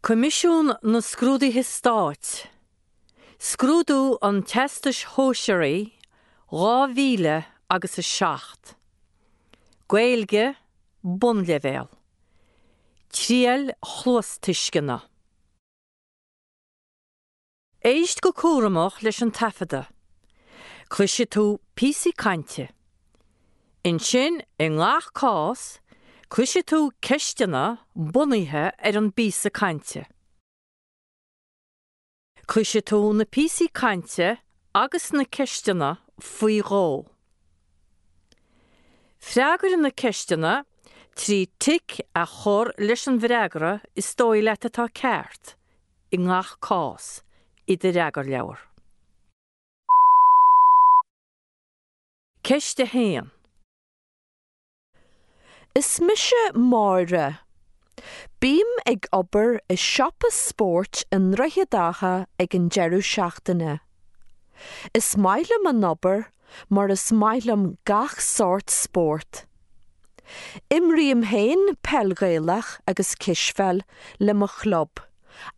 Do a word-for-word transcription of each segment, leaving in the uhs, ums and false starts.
Coimisiún na Scrúduithe Stáit, Scrúdú an Teastais Shóisearaigh dhá mhíle agus a seacht. Gaeilge, Bunleibhéal. Triail chluastuisceana. Éist go cúramach leis an taifeadadh. Cloisfidh tú píosaí cainte. Ansin, i ngach cás, cloisfidh tú ceisteanna bunaithe ar an bpíosa cainte. Cloisfidh tú na píosaí cainte agus na ceisteanna faoi dhó. Freagair na ceisteanna trí tic a chur leis an bhfreagra is dóigh leat atá ceart i ngach cás i do fhreagarleabhar. Ceist a haon. Is mise Máire. Bím ag obair i siopa spóirt i nDroichead Átha ag an deireadh seachtaine. Is maith liom an obair mar is maith liom gach sórt spórt. Imrím féin peil Ghaelach agus cispheil le mo chlub,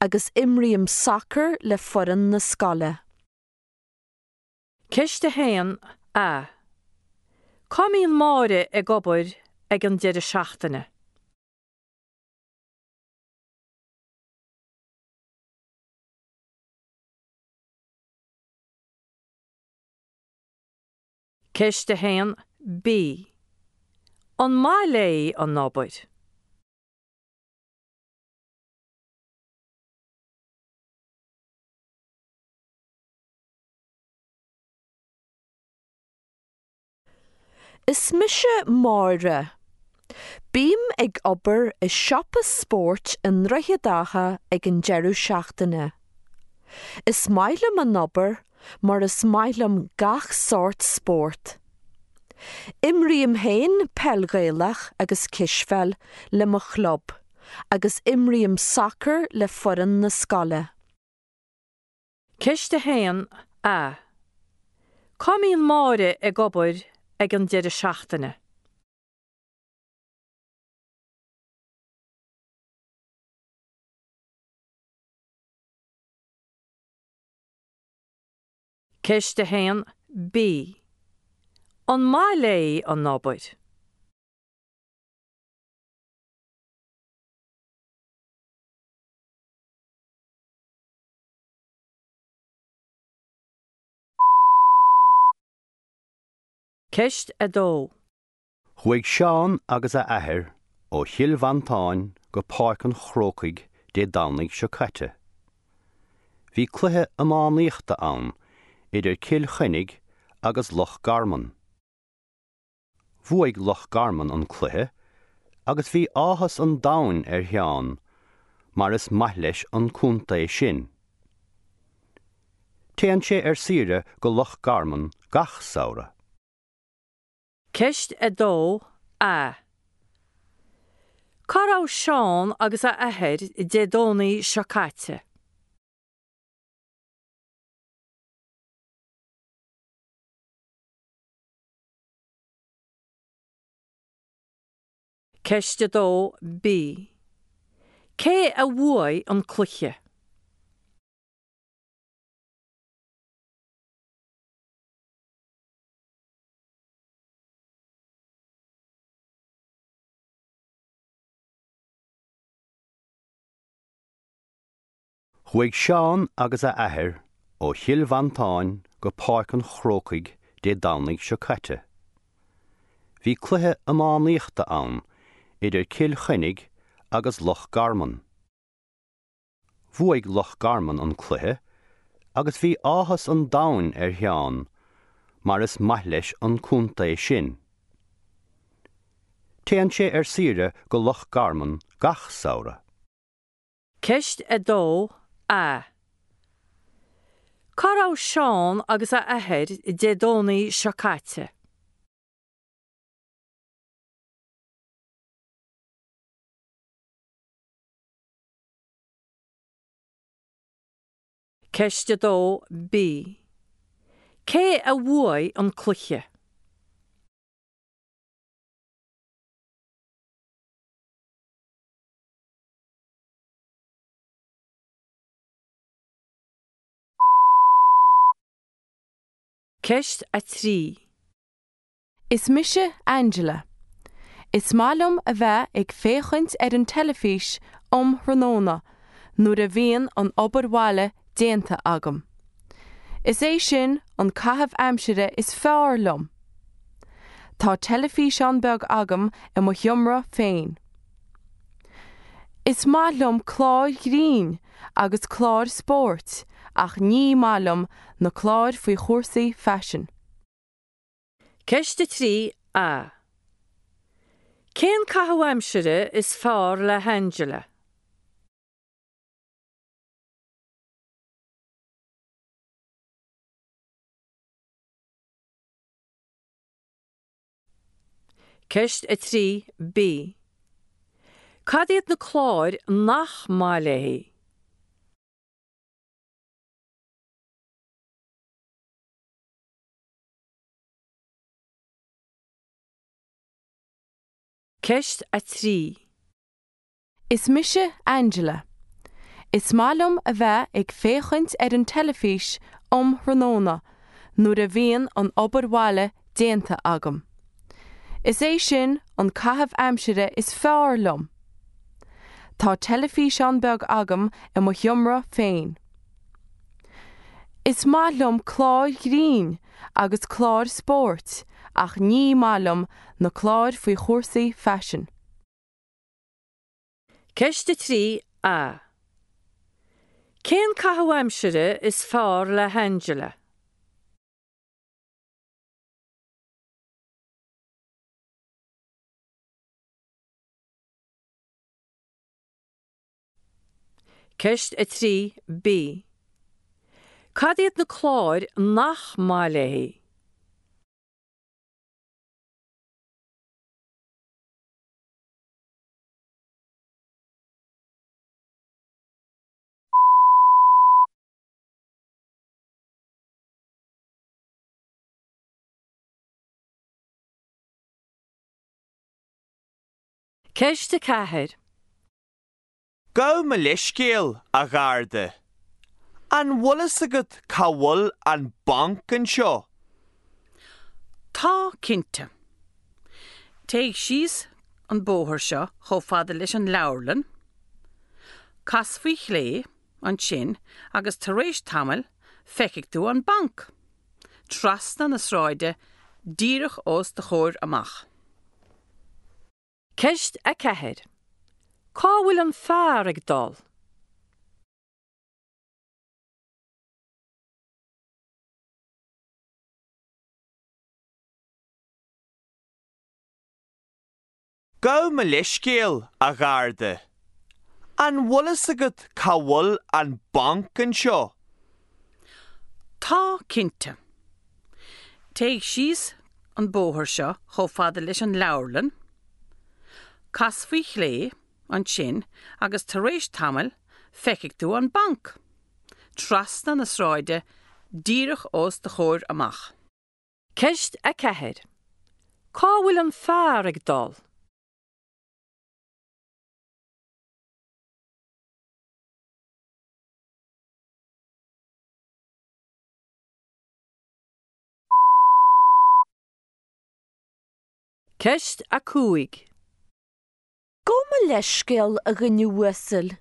agus imrím sacar le foireann na scoile. Ceist a haon A. Cá mbíonn Máire ag obair ag an deireadh seachtaine? Ceist a haon B. An maith léi an obair? Is mise Máire. Bím ag obair i siopa spóirt i nDroichead Átha ag an deireadh seachtaine. Is maith liom an obair mar is maith liom gach sórt spórt. Imrím féin peil Ghaelach agus cispheil le mo chlub, agus imrím sacar le foireann na scoile. Ceist a haon A. Cá mbíonn Máire ag obair ag an deireadh seachtaine? Ceist a haon B. An maith léi an obair? Ceist a dó. Chuaigh Seán agus a athair ó Chill Mhantáin go Páirc an Chrócaigh Dé Domhnaigh seo caite. Bhí cluiche iománaíochta ann idir Cill Chainnigh agus Loch Garman. Bhuaigh Loch Garman an cluiche agus bhí áthas an domhain ar Sheán mar is maith leis an contae sin. Téann sé ar saoire go Loch Garman gach samhradh. Ceist a dó A. Cá raibh Seán agus a athair Dé Domhnaigh seo caite? Ceist a dó B. Cé a bhuaigh an cluiche? Chuaigh Seán agus a athair ó Chill Mhantáin go Páirc an Chrócaigh Dé Domhnaigh seo caite. Bhí cluiche iománaíochta ann idir Cill Chainnigh agus Loch Garman. Bhuaigh Loch Garman an cluiche agus bhí áthas an domhain ar Sheán mar is maith leis an contae sin. Téann sé ar saoire go Loch Garman gach samhradh. Ceist a dó A. Cá raibh Seán agus a athair Dé Domhnaigh seo caite? Ceist a dó B. Cé a bhuaigh an cluiche? Ceist a trí. Is mise Angela. Is maith liom a bheith ag féachaint ar an teilifís um thráthnóna nuair a bhíonn an obair bhaile déanta agam. Is é sin an caitheamh aimsire is fearr liom. Tá teilifíseán beag agam i mo sheomra féin. Is maith liom cláir ghrinn agus cláir spóirt ach ní maith liom na cláir faoi chúrsaí faisin. Ceist a trí A. Cén caitheamh aimsire is fearr le hAngela? Ceist a trí B. Cad iad na cláir nach maith léi? Ceist a trí. Is mise Angela. Is maith liom a bheith ag féachaint ar an teilifís um thráthnóna nuair a bhíonn an obair bhaile déanta agam. Is é sin an caitheamh aimsire is fearr liom. Tá teilifíseán beag agam i mo sheomra féin. Is maith liom cláir ghrinn agus cláir spóirt ach ní maith liom na cláir faoi chúrsaí faisin. Ceist a trí A. Cén caitheamh aimsire is fearr le hAngela? Ceist a trí B. Cad iad na cláir nach maith léi? Ceist a ceathair. Gabh mo leithscéal, a Gharda. An bhfuil fhios agat cá bhfuil an banc anseo? Tá cinnte. Téigh síos an bóthar seo chomh fada leis an leabharlann, cas faoi chlé ansin agus tar éis tamaill feicfidh tú an banc. Trasna na sráide díreach os do chomhair amach. Ceist a ceathair. Cá bhfuil an fear ag dul? Gabh mo leithscéal, a Gharda. An bhfuil fhios agat cá bhfuil an banc anseo? Tá cinnte. Téigh síos an bóthar seo chomh fada leis an leabharlann, cas faoi chlé ansin agus tar éis tamaill feicfidh tú an banc. Trasna na sráide díreach os do chomhair amach. Ceist a ceathair. Cá bhfuil an fear ag dul? Ceist a cúig. Gabh mo leithscéal, a dhuine uasail.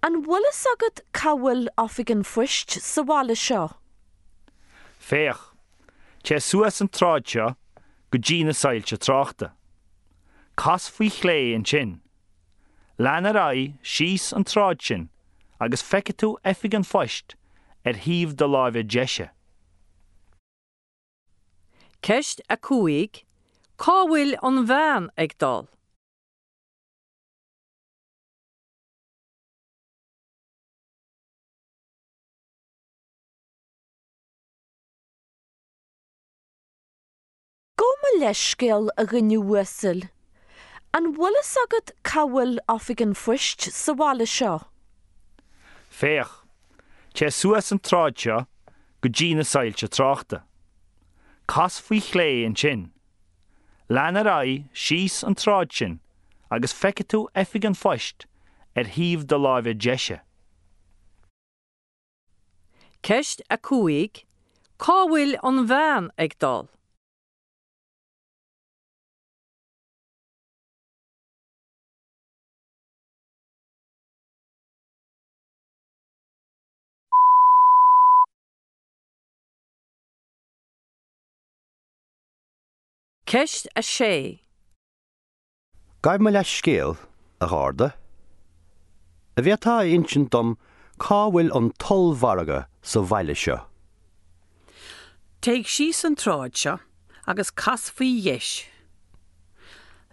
An bhfuil fhios agat cá bhfuil oifig an phoist sa bhaile seo? Féach, téigh suas an tsráid seo go dtí na soilse tráchta. Cas faoi chlé ansin. Lean ar aghaidh síos an tsráid sin agus feicfidh tú oifig an phoist ar thaobh do láimhe deise. Ceist a cúig. Cá bhfuil an bhean ag dul? Gabh mo leithscéal, a dhuine uasail. An bhfuil fhios agat cá bhfuil oifig an phoist sa bhaile seo? Féach, téigh suas an tsráid seo go dtí na soilse tráchta. Cas faoi chlé ansin. Lean ar aghaidh síos an tsráid sin agus feicfidh tú oifig an phoist ar thaobh do láimhe deise. Ceist a cúig. Cá bhfuil an bhean ag dul? Ceist a sé. Gabh mo leithscéal, a Gharda. An bhféadfá a insint dom cá bhfuil an t-ollmhargadh sa bhaile seo? Téigh síos an tsráid seo agus cas faoi dheis.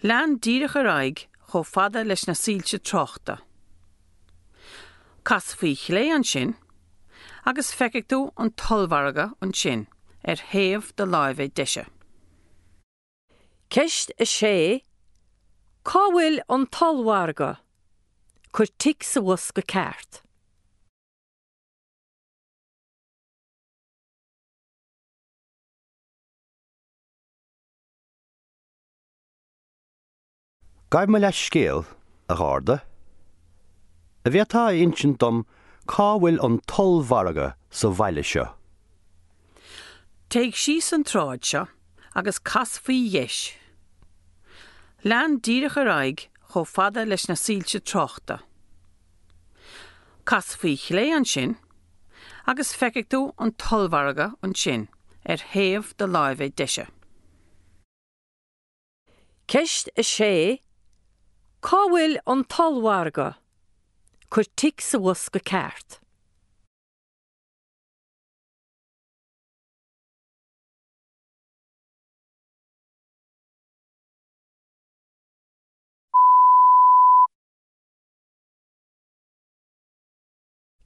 Lean díreach ar aghaidh chomh fada leis na soilse tráchta. Cas faoi chlé ansin agus feicfidh tú an t-ollmhargadh ansin ar thaobh do láimhe deise. Ceist a sé. Cá bhfuil an t-ollmhargadh? Cuir tic sa bhosca ceart. Gabh mo leithscéal, a Gharda. An bhféadfá a insint dom cá bhfuil an t-ollmhargadh sa bhaile seo? Téigh síos an tsráid seo agus cas faoi dheis. Lean díreach ar aghaidh chomh fada leis na soilse tráchta. Cas faoi chlé ansin agus feicfidh tú an t-ollmhargadh ansin ar thaobh do láimhe deise. Ceist a sé. Cá bhfuil an t-ollmhargadh? Cuir tic sa bhosca ceart.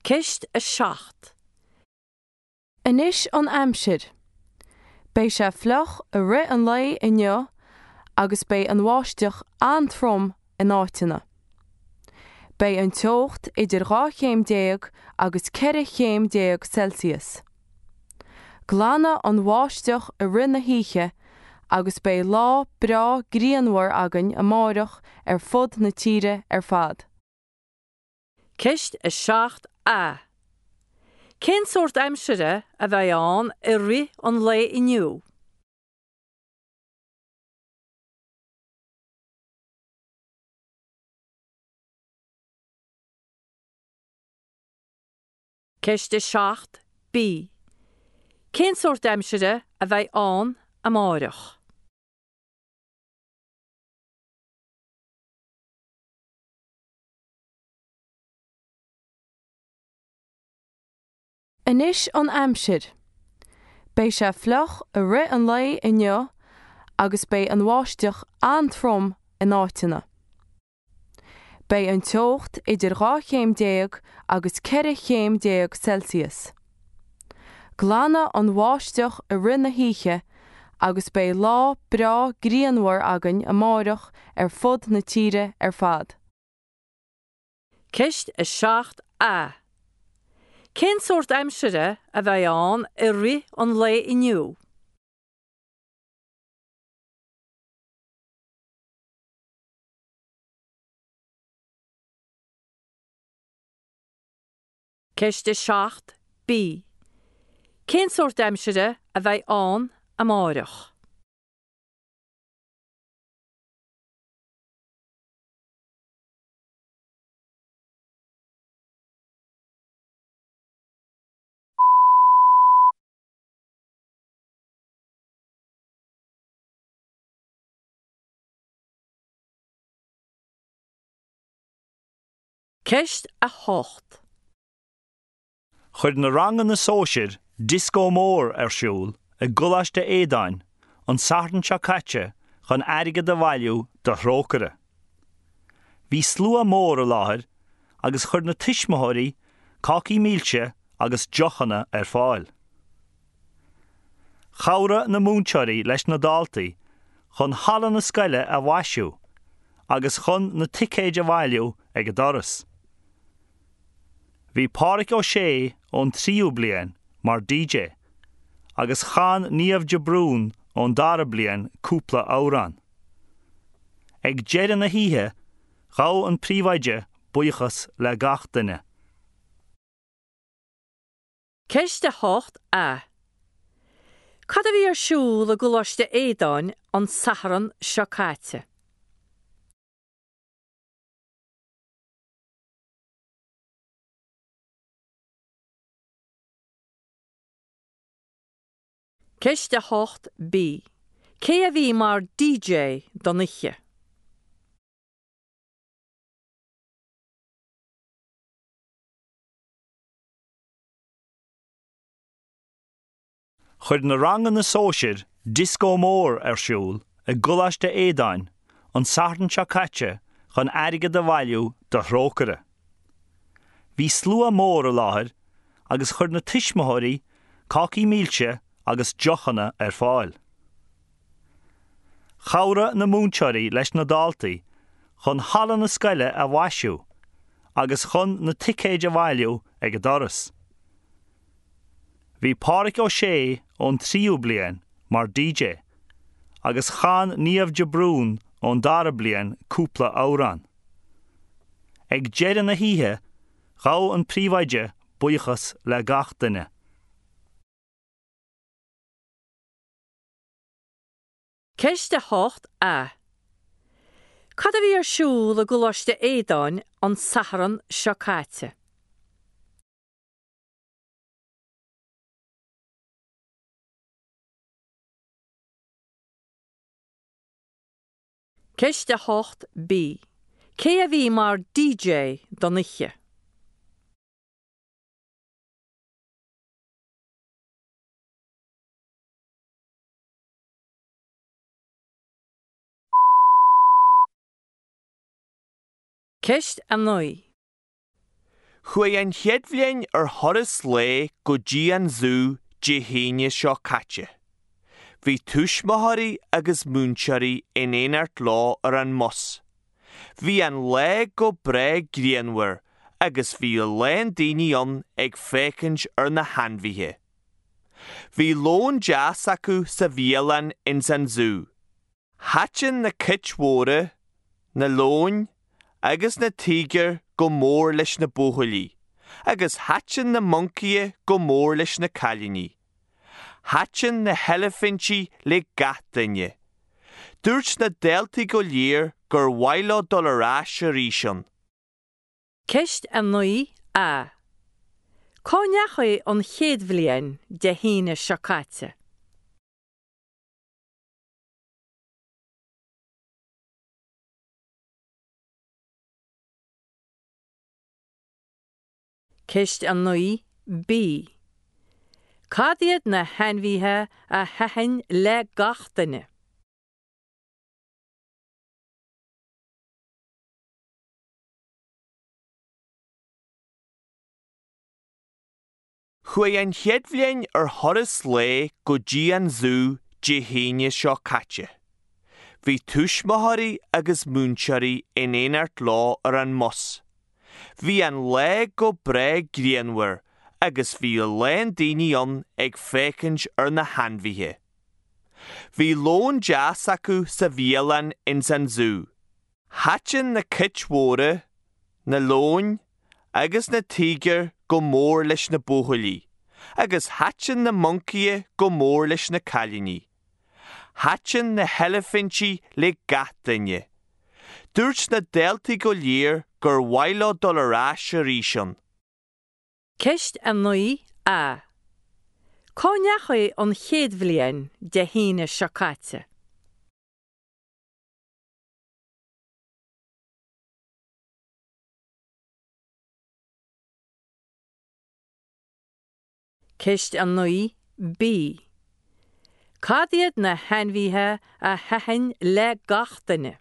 Ceist a seacht. Anois an aimsir. Beidh sé fliuch i rith an lae inniu agus beidh an bháisteach an-trom in áiteanna. Beidh an teocht idir dhá chéim déag agus ceithre chéim déag Celsius. Glanfaidh an bháisteach i rith na hoíche agus beidh lá breá grianmhar againn amárach ar fud na tíre ar fad. Ceist a seacht A. Cén sórt aimsire a bheidh ann i rith an lae inniu? Ceist a seacht B. Cén sórt aimsire a bheidh ann amárach? Anois an aimsir. Beidh sé fliuch i rith an lae inniu agus beidh an bháisteach an-trom in áiteanna. Beidh an teocht idir dhá chéim déag agus ceithre chéim déag Celsius. Glanfaidh an bháisteach i rith na hoíche agus beidh lá breá grianmhar againn amárach ar fud na tíre ar fad. Ceist a seacht A. Cén sórt aimsire a bheidh ann i rith an lae inniu? Ceist a seacht B. Cén sórt aimsire a bheidh ann amárach? Ceist a hocht. Chuir na ranganna sóisir dioscó mór ar siúl i gColáiste Aodáin an Satharn seo caite chun airgead a bhailiú do Thrócaire. Bhí slua mór i láthair agus chuir na tuismitheoirí cácaí milse agus deochanna ar fáil. Chabhraigh na múinteoirí leis na daltaí chun halla na scoile a mhaisiú agus chun na ticéid a bhailiú ag an doras. Bhí Pádraig Ó Sé ón tríú bliain mar D J agus chan Niamh de Brún ón dara bliain cúpla amhrán. Ag deireadh na hoíche, ghabh an príomhoide buíochas le gach duine. Ceist a hocht A. Cad a bhí ar siúl i gColáiste Aodáin an Satharn seo caite? Ceist a hocht B. Cé a bhí mar D J don oíche? Chuir na ranganna sóisir dioscó mór ar siúl i gColáiste Aodáin an Satharn seo caite chun airgead a bhailiú do Thrócaire. Bhí slua mór i láthair agus chuir na tuismitheoirí cácaí milse agus deochanna ar fáil. Chabhraigh na múinteoirí leis na daltaí chun halla na scoile a mhaisiú agus chun na ticéid a bhailiú ag an doras. Bhí Pádraig Ó Sé ón tríú bliain mar D J agus chan Niamh de Brún ón dara bliain cúpla amhrán. Ag deireadh na hoíche, ghabh an príomhoide buíochas le gach duine. Ceist a hocht A. Cad a bhí ar siúl i gColáiste Aodáin an Satharn seo caite? Ceist a hocht B. Cé a bhí mar D J don oíche? Ceist a naoi. Chuaigh an chéad bhliain ar thuras lae go dtí an zú Dé hAoine seo caite. Bhí tuismitheoirí agus múinteoirí in éineacht leo ar an mbus. Bhí an lá go breá grianmhar agus bhí a lán daoine ann ag féachaint ar na hainmhithe. Bhí lón deas acu sa bhialann ins an zú. Thaitin na cait mhóra, na leoin agus na tíogair go mór leis na buachaillí, agus thaitin na moncaithe go mór leis na cailíní. Thaitin na heilifintí le gach duine. Dúirt na daltaí go léir gur mhaith leo dul ar ais arís ann. Ceist a naoi A. Cá ndeachaigh an chéad bhliain Dé hAoine seo caite? Ceist a naoi B. Cad iad na hainmhithe a thaitin le gach duine? Chuaigh an chéad bhliain ar thuras lae go dtí an zú Dé hAoine seo caite. Bhí tuismitheoirí agus múinteoirí in éineacht leo ar an mbus. Bhí an lá go breá grianmhar agus bhí a lán daoine ann ag féachaint ar na hainmhithe. Bhí lón deas acu sa bhialann ins an zú. Thaitin na cait mhóra, na leoin agus na tíogair go mór leis na buachaillí, agus thaitin na moncaithe go mór leis na cailíní. Thaitin na heilifintí le gach duine. Dúirt na daltaí go léir gur mhaith leo dul ar ais arís ann. Ceist a naoi A. Cá ndeachaigh an chéad bhliain Dé hAoine seo caite? Ceist a naoi B. Cad iad na hainmhithe a thaitin le gach duine?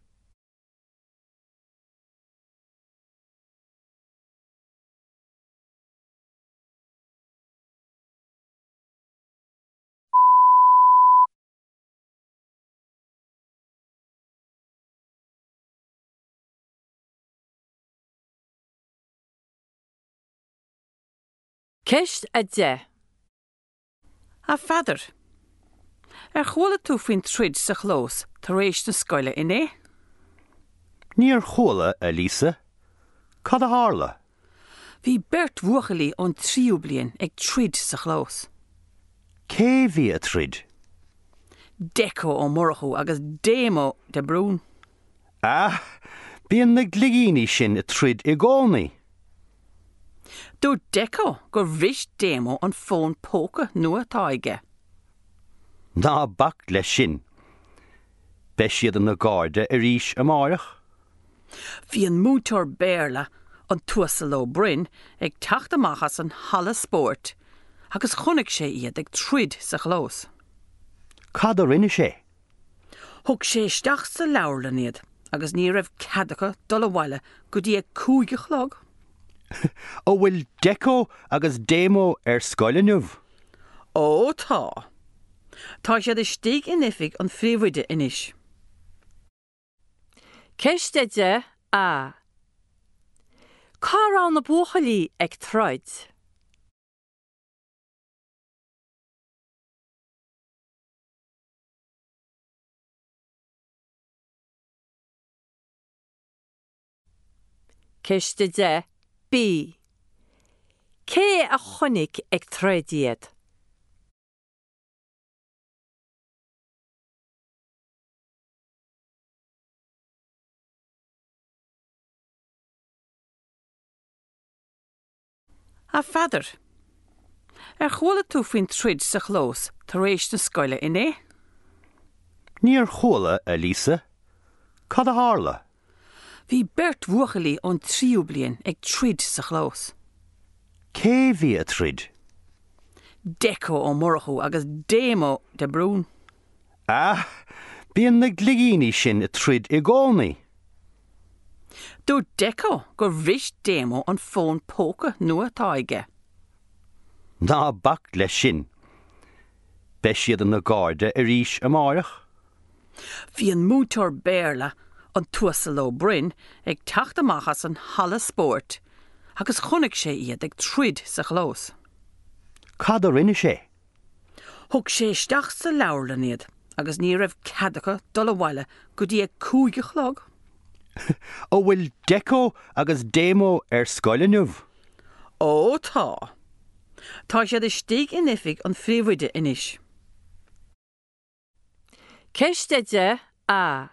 Ceist a deich. A Pheadair, ar chuala tú faoin troid sa chlós tar éis na scoile inné? Níor chuala, a Lisa. Cad a tharla? Bhí beirt bhuachaillí ón tríú bliain ag troid sa chlós. Cé bhí ag troid? Decó Ó Murchú agus Déamó de Brún. Ah, bíonn na gligíní sin ag troid i gcónaí. Dúirt Decó gur bhris Déamó an fón póca nua atá aige. Ná bac leis sin. Beidh siad ina gcairde arís amárach. Bhí an múinteoir Béarla, an tUasal Ó Broin, ag teacht amach as an halla spóirt agus chonaic sé iad ag troid sa chlós. Cad a rinne sé? Thug sé isteach sa leabharlann iad agus ní raibh cead acu dul abhaile go dtí a cúig a chlog. An bhfuil Decó agus Déamó ar scoil inniu? Ó tá. Tá siad istigh in oifig an phríomhoide anois. Ceist a deich A. Cá raibh na buachaillí ag troid? Ceist a deich B. Cé a chonaic ag troid iad? A Pheadair, ar chuala tú faoin troid sa chlós tar éis na scoile inné? Níor chuala, a Lisa. Cad a tharla? Bhí beirt bhuachaillí ón tríú bliain ag troid sa chlós. Cé bhí ag troid? Decó Ó Murchú agus Déamó de Brún. Ah, bíonn na gligíní sin ag troid i gcónaí. Dúirt Decó gur bhris Déamó an fón póca nua atá aige. Ná bac leis sin. Beidh siad ina gcairde arís amárach. Bhí an múinteoir Béarla, an tUasal Ó Broin, ag teacht amach as an halla spóirt agus chonaic sé iad ag troid sa chlós. Cad a rinne sé? Thug sé isteach sa leabharlann iad agus ní raibh cead acu dul abhaile go dtí a cúig a chlog. An bhfuil Decó agus Déamó ar scoil inniu? Ó tá. Tá siad istigh in oifig an phríomhoide anois. Ceist a deich A.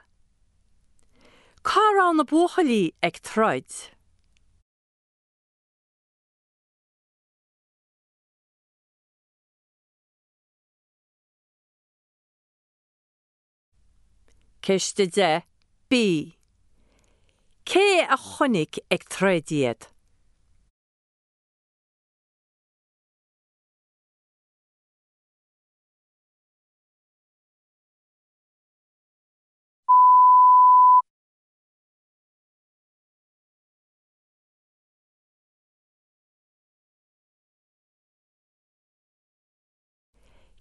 Cá raibh na buachaillí ag troid? Ceist a deich B. Cé a chonaic ag troid iad?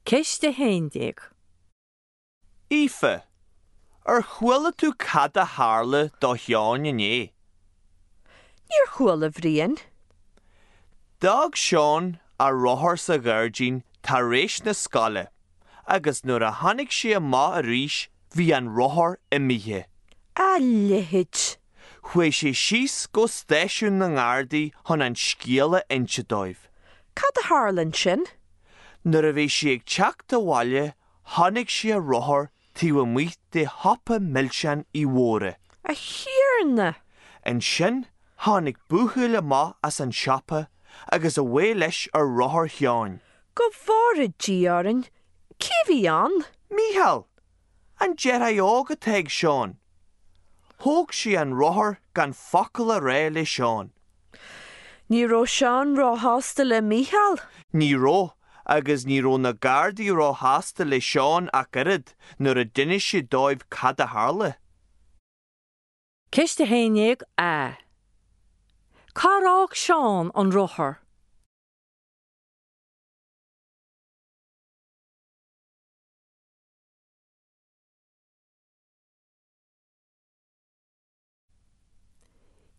Ceist a haon déag. Aoife, ar chuala tú cad a tharla do Sheán inné? Níor chuala, a Bhriain. D'fhág Seán a rothar sa ghairdín tar éis na scoile agus nuair a tháinig sé amach arís bhí an rothar imithe. A leithéid! Chuaigh sé síos go stáisiún na nGardaí chun an scéal a inse dóibh. Cad a tharla ansin? Nuair a bhí sé ag teacht abhaile chonaic sé a rothar taobh amuigh de shiopa milseán Uí Mhórdha. A Thiarna! Ansin tháinig buachaill amach as an siopa agus away leis ar rothar Sheáin. Go bhfóire Dia orainn, cé a bhí ann? Mícheál! An deartháir óg atá ag Seán. Thóg sé an rothar gan focal a rá le Seán. Ní raibh Seán róshásta le Mícheál? Ní raibh, agus ní raibh na Gardaí róshásta le Seán ach oiread nuair a d'inis sé dóibh cad a tharla. Ceist a haon déag A. Cár fhág Seán an rothar?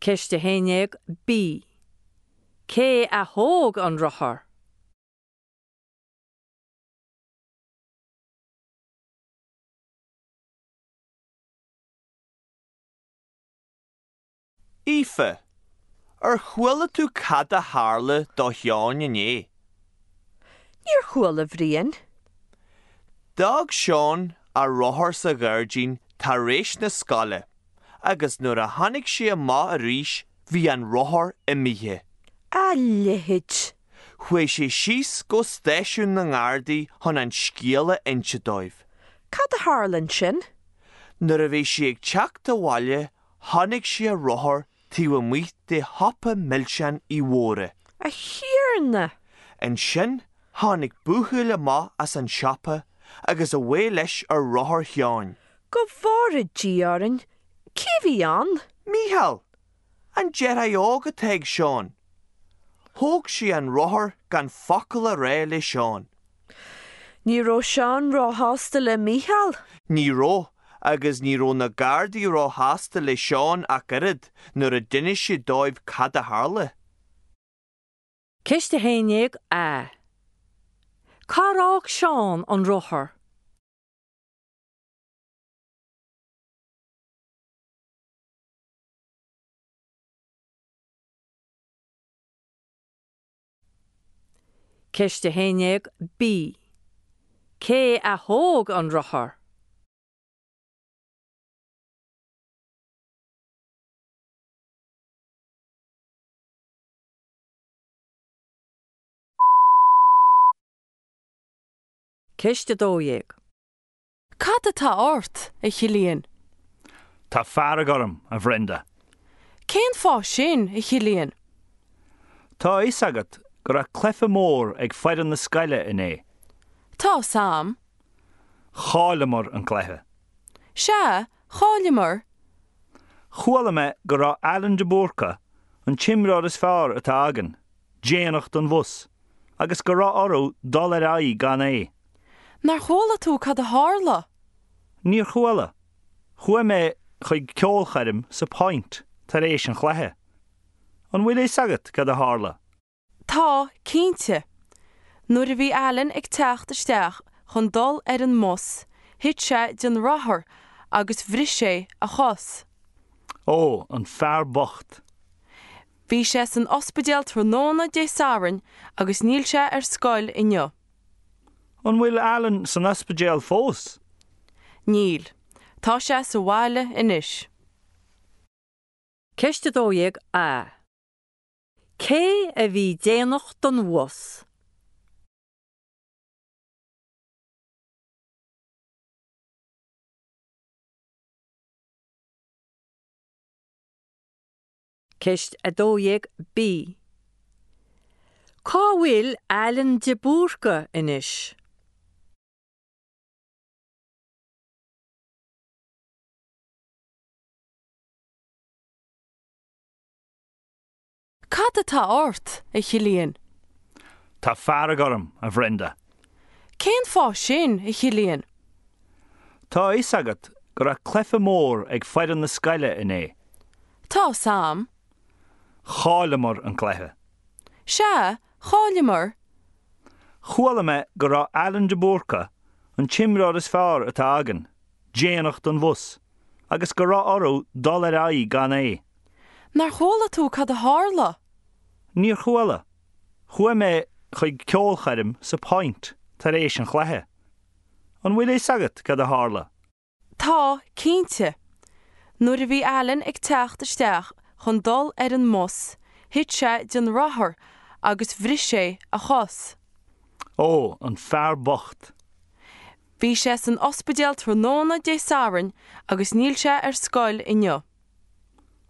Ceist a haon déag B. Cé a thóg an rothar? Aoife, ar chuala tú cad a tharla do Sheán inné? Níor chuala, a Bhriain. D'fhág Seán a rothar sa ghairdín tar éis na scoile agus nuair a tháinig sé amach arís bhí an rothar imithe. A leithéid! Chuaigh sé síos go stáisiún na nGardaí chun an scéal a inse dóibh. Cad a tharla ansin? Nuair a bhí sé ag teacht abhaile chonaic sé a rothar taobh amuigh de shiopa milseán Uí Mhórdha. A Thiarna! Ansin tháinig buachaill amach as an siopa agus away leis ar rothar Sheáin. Go bhfóire Dia orainn, cé a bhí ann? Mícheál! An deartháir óg atá ag Seán. Thóg sé an rothar gan focal a rá le Seán. Ní raibh Seán róshásta le Mícheál? Ní raibh, agus ní raibh na Gardaí róshásta le Seán ach oiread nuair a d'inis sé dóibh cad a tharla. Ceist a haon déag A. Cár fhág Seán an rothar? Ceist a haon déag B. Cé a thóg an rothar? Ceist a dó dhéag. Cad atá ort, a Chillian? Tá fearg orm, a Bhrenda. Cén fáth sin, a Chillian? Tá a fhios agat go raibh cluiche mór ag foireann na scoile inné. Tá a fhios a'm. Chailleamar an cluiche. Sea, chailleamar. Chuala mé go raibh Alan de Búrca, an t-imreoir is fearr atá againn, déanach don bhus, agus go raibh orthu dul ar aghaidh gan é. Nár chuala tú cad a tharla? Níor chuala. Chuaigh mé chuig ceolchoirm sa Point tar éis an chluiche. An bhfuil a fhios agat cad a tharla? Tá, cinnte. Nuair a bhí Alan ag teacht isteach chun dul ar an mbus, thit sé den rothar agus bhris sé a chos. Ó, an fear bocht. Bhí sé san ospidéal tráthnóna Dé Sathairn agus níl sé ar scoil inniu. An bhfuil Alan san ospidéal fós? Níl. Tá sé sa bhaile anois. Ceist a dó dhéag A. Cé a bhí déanach don bhus? Ceist a dó dhéag B. Cá bhfuil Alan de Búrca anois? Cad atá ort, a Chillian? Tá fearg orm, a Bhrenda. Cén fáth sin, a Chillian? Tá a fhios agat go raibh cluiche mór ag foireann na scoile inné. Tá a fhios a'm. Chailleamar an cluiche. Sea, chailleamar. Chuala mé go raibh Alan de Búrca, an t-imreoir is fearr atá againn, déanach don bhus, agus go raibh orthu dul ar aghaidh gan é. Nár chuala tú cad a tharla? Níor chuala. Chuaigh mé chuig ceolchoirm sa Point tar éis an chluiche. An bhfuil a fhios agat cad a tharla? Tá, cinnte. Nuair a bhí Alan ag teacht isteach chun dul ar an mbus, thit sé den rothar agus bhris sé a chos. Ó, an fear bocht. Bhí sé san ospidéal tráthnóna Dé Sathairn agus níl sé ar scoil inniu.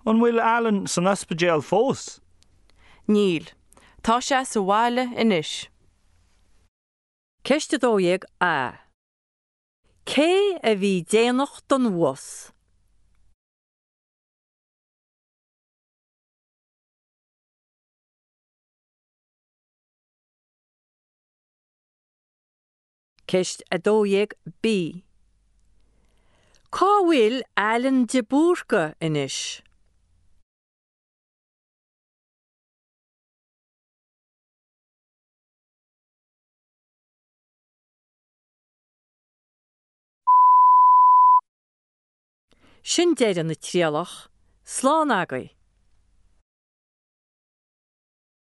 An bhfuil Alan san ospidéal fós? Níl. Tá sé sa bhaile anois. Ceist a dó dhéag A. Cé a bhí déanach don bhus? Ceist a dó dhéag B. Cá bhfuil Alan de Búrca anois? Sin deireadh na trialach, slán agaibh.